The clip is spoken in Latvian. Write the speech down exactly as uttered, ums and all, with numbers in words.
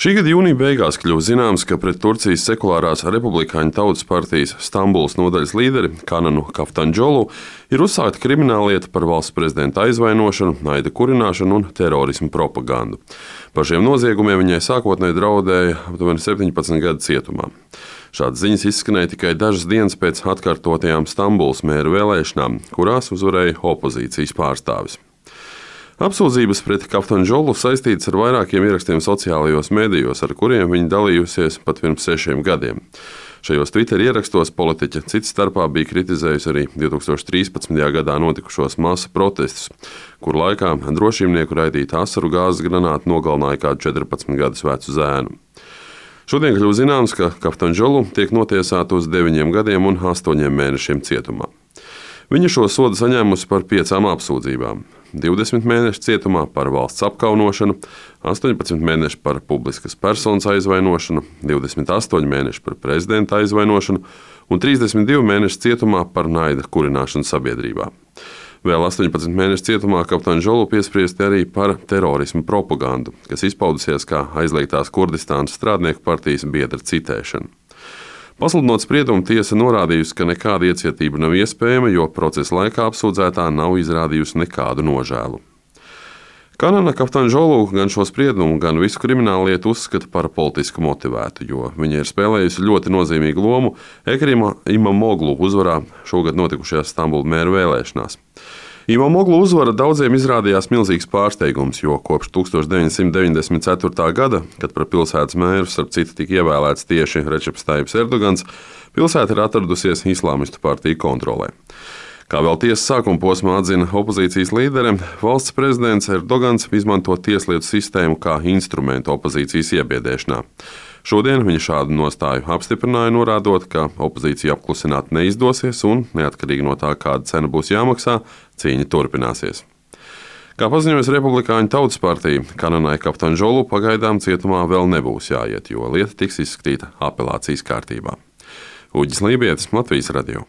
Šī gada jūnija beigās kļuva zināms, ka pret Turcijas sekulārās republikāņu tautas partijas Stambulas nodaļas līderi Kananu Kaftanģolu ir uzsākta krimināllieta par valsts prezidenta aizvainošanu, naida kurināšanu un terorismu propagandu. Par šiem noziegumiem viņai sākotnēji draudēja aptuveni septiņpadsmit gadu cietumā. Šādas ziņas izskanēja tikai dažas dienas pēc atkārtotajām Stambulas mēra vēlēšanām, kurās uzvarēja opozīcijas pārstāvis. Apsūdzības pret Kaftanģolu saistītas ar vairākiem ierakstiem sociālajos medijos, ar kuriem viņa dalījusies pat pirms sešiem gadiem. Šajos Twitter ierakstos politiķe cits starpā bija kritizējusi arī divi tūkstoši trīspadsmitajā gadā notikušos masu protestus, kur laikā drošībnieku raidīta asaru gāzes granāta nogalināja kādu četrpadsmit gadus vecu zēnu. Šodien kļuva zināms, ka Kaftanģolu tiek notiesāta uz deviņiem gadiem un astoņiem mēnešiem cietumā. Viņa šo sodu saņēmusi par piecām apsūdzībām – divdesmit mēneši cietumā par valsts apkaunošanu, astoņpadsmit mēneši par publiskas personas aizvainošanu, divdesmit astoņi mēneši par prezidenta aizvainošanu un trīsdesmit divi mēneši cietumā par naida kurināšanu sabiedrībā. Vēl astoņpadsmit mēneši cietumā Kaftanģolu piespriesti arī par terorismu propagandu, kas izpaudusies kā aizliegtās Kurdistānas strādnieku partijas biedra citēšana. Pasludinot spriedumu, tiesa norādījusi, ka nekāda iecietība nav iespējama, jo procesa laikā apsūdzētā nav izrādījusi nekādu nožēlu. Kanana Kaftanģolu gan šo spriedumu, gan visu krimināllietu uzskata par politiski motivētu, jo viņa ir spēlējusi ļoti nozīmīgu lomu Ekrima Imamoglu uzvarā šogad notikušajās Stambulas mēra vēlēšanās. Imamoglu uzvara daudziem izrādījās milzīgs pārsteigums, jo kopš tūkstoš deviņsimt deviņdesmit ceturtā gada, kad par pilsētas mēru starp citu tika ievēlēts tieši Rečeps Tajjips Erdogans, pilsēta ir atradusies islāmistu partiju kontrolē. Kā vēl tiesas sākuma posmā atzina opozīcijas līdere, valsts prezidents Erdogans izmanto tieslietu sistēmu kā instrumentu opozīcijas iebiedēšanā. Šodien viņa šādu nostāju apstiprināja, norādot, ka opozīciju apklusināt neizdosies un, neatkarīgi no tā, kāda cena būs jāmaksā, cīņa turpināsies. Kā paziņojas Republikāņu tautas partija, Kananai Kaftanģolu pagaidām cietumā vēl nebūs jāiet, jo lieta tiks izskatīta apelācijas kārtībā. Uģis Lībietis, Latvijas radio.